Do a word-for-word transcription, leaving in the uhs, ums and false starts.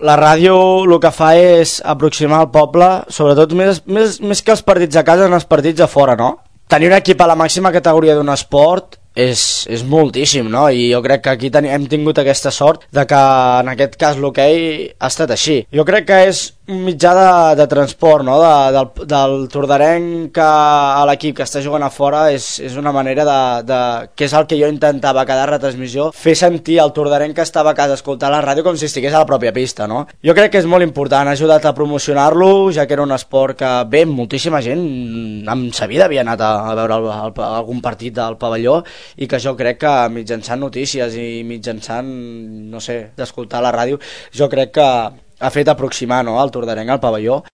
la ràdio el que fa és aproximar el poble, sobretot més, més, més que els partits a casa en els partits a fora, no? Tenir un equip a la màxima categoria d'un esport és, és moltíssim, no? I jo crec que aquí ten, hem tingut aquesta sort de que en aquest cas l'hoquei ha estat així. Jo crec que és un mitjà de, de transport, no? De, del, del tordarenc a l'equip que està jugant a fora és, és una manera de, de... que és el que jo intentava a cada retransmissió, fer sentir el tordarenc que estava a casa escoltant la ràdio com si estigués a la pròpia pista, no? Jo crec que és molt important, ha ajudat a promocionar-lo, ja que era un esport que, bé, moltíssima gent en sa vida havia anat a, a veure el, el, algun partit del pavelló, i que jo crec que mitjançant notícies i mitjançant, no sé, d'escoltar la ràdio, jo crec que ha fet aproximar, no, el tordarenc al pavelló.